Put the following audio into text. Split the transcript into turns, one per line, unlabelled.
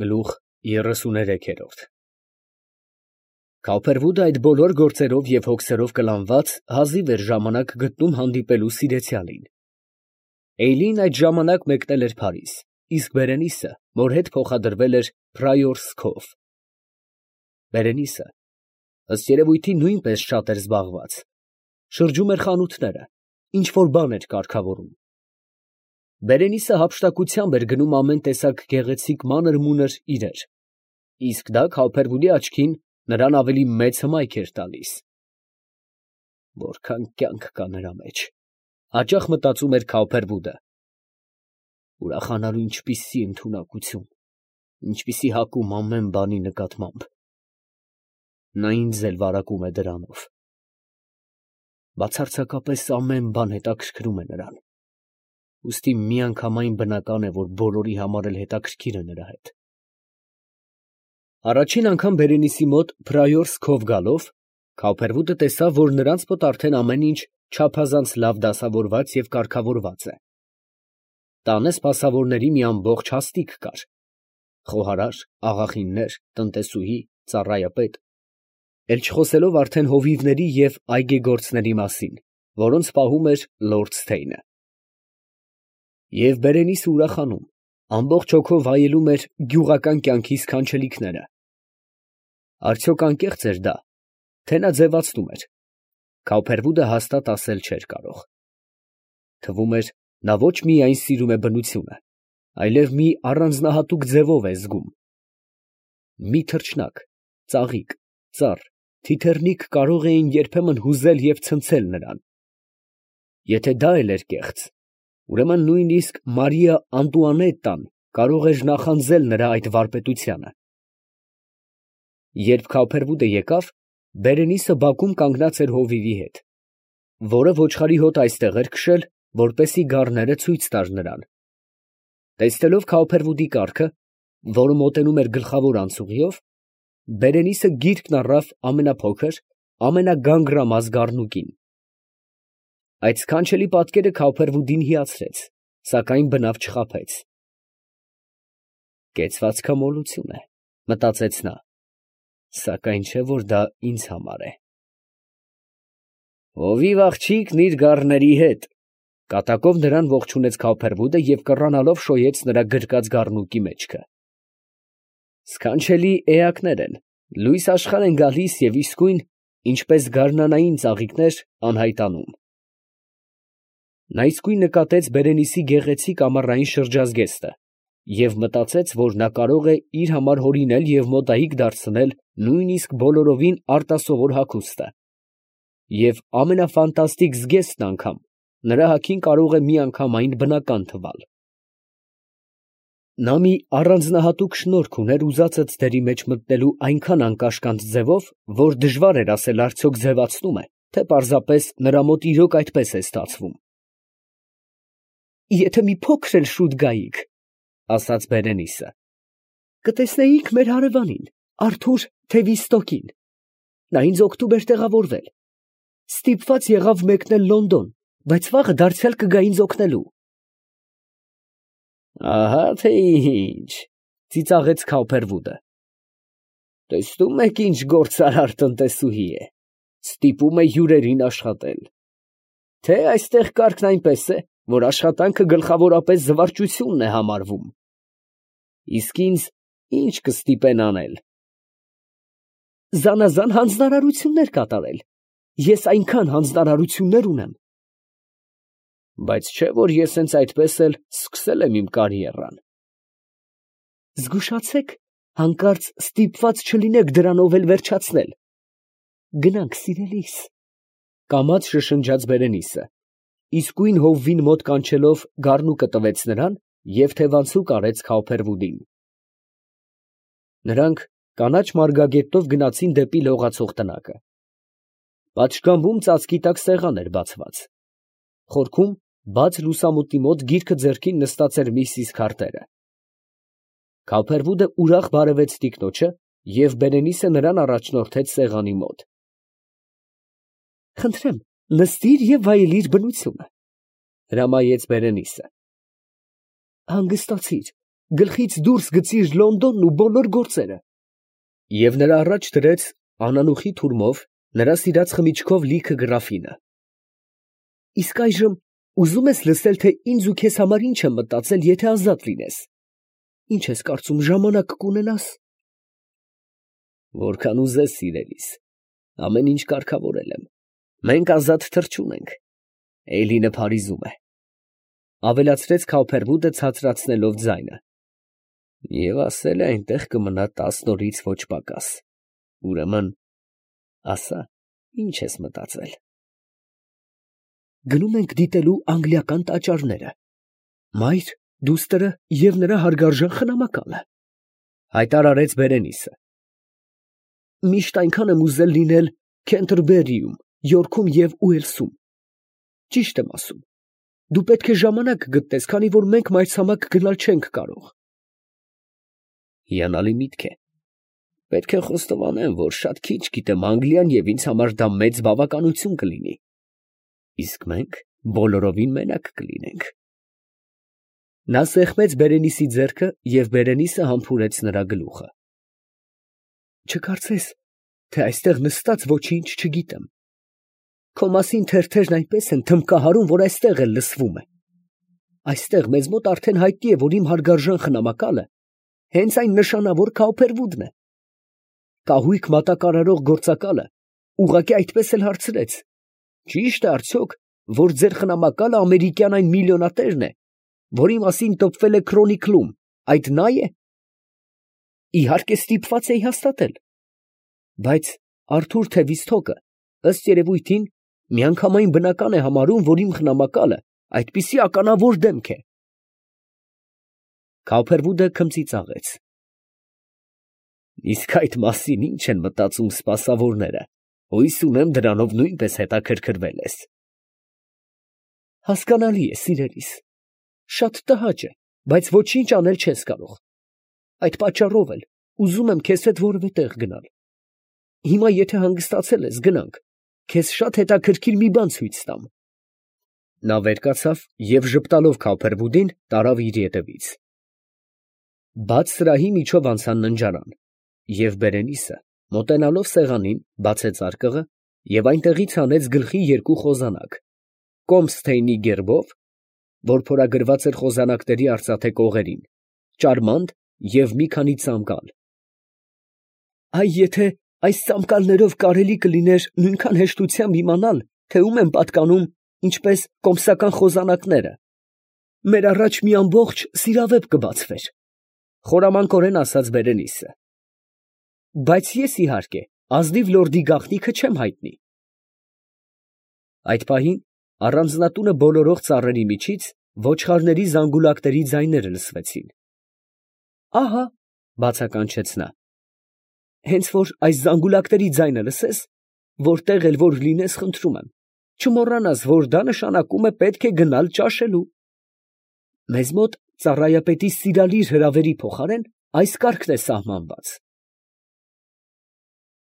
Գլուխ 33 Քավփերվուդը այդ բոլոր գործերով և հոգսերով կլանված հազիվ էր ժամանակ գտնում հանդիպելու սիրեցյալին։ Էյլին այդ ժամանակ մեկնել էր Փարիզ, իսկ Բերենիսը մոր հետ փոխադրվել էր Փրայորսկով։ Բերենիսը, ըստ երևույթի, նույնպես շատ էր զբաղված, շրջում էր խանութները, ինչ֊որ բան էր կարգավորում։ Բերենիսը հափշտակությամբ էր գնում ամեն տեսակ գեղեցիկ մանր֊մունր իրեր, իսկ դա Քավփերվուդի աչքին նրան ավելի մեծ հմայք էր տալիս։ Որքան կյանք կա նրա մեջ, հաճախ մտածում էր Քավփերվուդը։ Ուրախանալու ինչպիսի ընդունակություն, ինչպիսի հակում ամեն բանի նկատմամբ։ Նա ինձ էլ վարակում է դրանով։ Բացարձակապես ամեն բան հետաքրքրում է նրան, ուստի միանգամայն բնական է, որ բոլորի համար էլ հետաքրքիր է նրա հետ։ Առաջին անգամ Բերենիսի մոտ Փրայորսկով գալով, Քավփերվուդը տեսավ, որ նրանց մոտ արդեն ամեն ինչ չափազանց լավ դասավորված և կարգավորված է։ Տանը սպասավորների մի ամբողջ հաստիք կար. խոհարար, աղախիններ, տնտեսուհի, ծառայապետ, էլ չխոսելով արդեն հովիվների և այգեգործների մասին, որոնց պահում էր լորդ Սթեյնը։ Եվ Բերենիսը ուրախանում, ամբողջ հոգով վայելում էր գյուղական կյանքի սքանչելիքները։ Արդյոք անկեղծ էր դա, թե նա ձևացնում էր։ Քավփերվուդը հաստատ ասել չէր կարող։ Թվում էր, նա ոչ միայն սիրում է բնությունը, այլև մի առանձնահատուկ ձևով է զգում։ Մի թռչնակ, ծաղիկ, ծառ, թիթեռնիկ կարող էին երբեմն հուզել և ցնցել նրան։ Եթե դա էլ էր կեղծ, ուրեմն նույնիսկ Մարիա Անտուանետտան կարող էր նախանձել նրա այդ վարպետությանը։ Երբ Քավփերվուդը եկավ, Բերենիսը բակում կանգնած էր հովիվի հետ, որը ոչխարի հոտ այստեղ էր քշել, որպեսզի գառները ցույց տար նրան։ Տեսնելով Քավփերվուդի կառքը, որը մոտենում էր գլխավոր անցուղիով, Բերենիսը գիրկն առավ ամենափոքր, ամենագանգրամազ գառնուկին։ Այդ սքանչելի պատկերը Քավփերվուդին հիացրեց, սակայն բնավ չխաբեց։ Կեցվածքամոլություն է, մտածեց նա, սակայն չէ, որ դա ինձ համար է։ Հովիվ աղջիկն իր գառների հետ, կատակով նրան ողջունեց Քավփերվուդը և կռանալով շոյեց նրա գրկած գառնուկի մեջքը։ Սքանչելի էակներ են, լույս աշխարհ են գալիս և իսկույն, ինչպես գարնանային ծաղիկներ, անհայտանում։ Նա իսկույն նկատեց Բերենիսի գեղեցիկ ամառային շրջազգեստը և մտածեց, որ նա կարող է իր համար հորինել և մոտայիկ դարձնել նույնիսկ բոլորովին արտասովոր հագուստը, և ամենաֆանտաստիկ զգեստն անգամ նրա հագին կարող է միանգամայն բնական թվալ։ Նա մի առանձնահատուկ շնորք ուներ ուզածը ձդերի մեջ մտնելու այնքան անկաշկանդ ձևով, որ դժվար էր ասել արդյոք ձևացնում է, թե պարզապես նրա մոտ իրոք այդպես է ստացվում։ Եթե մի փոքր էլ շուտ գայիք, ֊ ասաց Բերենիսը, ֊ կտեսնեիք մեր հարևանին, Արթուր Թևիստոկին. նա ինձ օգտում էր տեղավորվել, ստիպված եղավ մեկնել Լոնդոն, բայց վաղը դարձյալ կգա ինձ օգնելու։ Ահա թե ինչ, ֊ ծիծաղեց Քավփերվուդը։ Տեսնում եք ինչ գործարար տնտեսուհի է, ստիպում է հյուրերին աշխատել։ Թե այստեղ կարգն այնպես է, որ աշխատանքը գլխավորապես զվարճությունն է համարվում։ Իսկ ինձ ինչ կստիպեն անել։ Զանազան հանձնարարություններ կատարել։ Ես այնքան հանձնարարություններ ունեմ։ Բայց չէ՞ որ ես հենց այդպես էլ սկսել եմ իմ կարիերան։ Զգուշացեք, հանկարծ ստիպված չլինեք դրանով էլ վերջացնել։ Գնանք, սիրելիս, ֊ կամաց շշնջաց Բերենիսը, իսկույն հովվին մոտ կանչելով գառնուկը տվեց նրան և թևանցուկ արեց Քավփերվուդին։ Նրանք կանաչ մարգագետով գնացին դեպի լողացող տնակը։ Պատշգամբում ծածկի տակ սեղան էր բացված։ Խորքում, բաց լուսամուտի մոտ գիրքը ձեռքին նստած էր միսիս Քարտերը։ Քավփերվուդը ուրախ բարևեց տիկնոջը, և Բերենիսը նրան առաջնորդեց սեղանի մոտ։ Խնդրեմ, նստիր և վայելիր բնությունը, ֊ հրամայեց Բերենիսը։ Հանգստացիր, գլխից դուրս գցիր Լոնդոնն ու բոլոր գործերը։ Եվ նրա առաջ դրեց անանուխի թուրմով նրա սիրած խմիչքով լիքը գրաֆինը։ Իսկ այժմ ուզում ես լսել, թե ինձ ու քեզ համար ինչ եմ մտածել, եթե ազատ լինես։ Ինչ ես կարծում, ժամանակ կունենաս։ Որքան ուզես, սիրելիս, ամեն ինչ կարգավորել եմ։ Մենք ազատ թռչուն ենք։ Էյլինը Փարիզում է, ավելացրեց Քաուփերվուդը ցածրացնելով ձայնը։ Եվ ասել է այնտեղ կմնա 10 օրից ոչ պակաս։ Ուրեմն, ասա, ինչ ես մտածել։ Գնում ենք դիտելու անգլիական տաճարները։ Մայր, դուստրը և նրա հարգարժան խնամակալը, հայտարարեց Բերենիսը։ Միշտ այնքան եմ ուզել լինել Քենթերբերիում, Յորքում և Ուելսում։ Ճիշտ եմ ասում։ Դու պետք է ժամանակ գտնես, քանի որ մենք մայրցամաք գնալ չենք կարող։ Հիանալի միտք է։ Պետք է խոստովանեմ, որ շատ քիչ գիտեմ Անգլիան և ինձ համար դա մեծ բավականություն կլինի։ Իսկ մենք բոլորովին մենակ կլինենք։ Նա սեղմեց Բերենիսի ձեռքը և Բերենիսը համբուրեց նրա գլուխը։ Չկարծես, թե այստեղ նստած ոչինչ չգիտեմ։ Քո մասին թերթերն այնպես են թմբկահարում, որ այստեղ էլ լսվում է։ Այստեղ մեզ մոտ արդեն հայտնի է, որ իմ հարգարժան խնամակալը հենց այն նշանավոր Քաուփերվուդն է։ Կահույք մատակարարող գործակալը ուղղակի այդպես էլ հարցրեց. ճիշտ է արդյոք, որ ձեր խնամակալը ամերիկյան այն միլիոնատերն է, որի մասին տպվել է Քրոնիկլում, այդ նա է։ Իհարկե ստիպված էի հաստատել։ Բայց Արթուր Թևիստոկը, ըստ երևույթին, միանգամայն բնական է համարում, որ իմ խնամակալը այդպիսի ականավոր դեմք է։ Քաուփերվուդը քմծիծաղեց։ Իսկ այդ մասին ինչ են մտածում սպասավորները, հույս ունեմ դրանով նույնպես հետաքրքրվել ես։ Հասկանալի է, սիրելիս, շատ տհաճ է, բայց ոչինչ անել չես կարող։ Այդ պատճառով էլ ուզում եմ քեզ հետ որևէ տեղ գնալ։ Հիմա եթե հանգստացել ես, գնանք, քեզ շատ հետաքրքիր մի բան ցույց տամ։ Նա վեր կացավ և ժպտալով Քաուփերվուդին տարավ իր ետևից։ Բաց սրահի միջով անցան ննջարան, և Բերենիսը, մոտենալով սեղանին, բացեց արկղը և այնտեղից հանեց գլխի երկու խոզանակ, Կոմսթեյնի գերբով, որ փորագրված էր խոզանակների արծաթե կողերին, ճարմանդ և մի քանի ծամկալ։ Այ եթե այս ծամկալներով կարելի կլիներ նույնքան հեշտությամբ իմանալ, թե ում են պատկանում ինչպես կոմսական խոզանակները, մեր առաջ մի ամբողջ սիրավեպ կբացվեր, խորամանկորեն ասաց Բերենիսը։ Բայց ես, իհարկե, ազնիվ լորդի գաղտնիքը չեմ հայտնի։ Այդ պահին առանձնատունը բոլորող ծառերի միջից ոչխարների զանգուլակների ձայները լսվեցին։ Ահա, բացականչեց նա, հենց որ այս զանգուլակների ձայնը լսես, որտեղ էլ որ լինես, խնդրում եմ, չմոռանաս, որ դա նշանակում է պետք է գնալ ճաշելու։ Մեզ մոտ ծառայապետի սիրալիր հրավերի փոխարեն այս կարգն է սահմանված։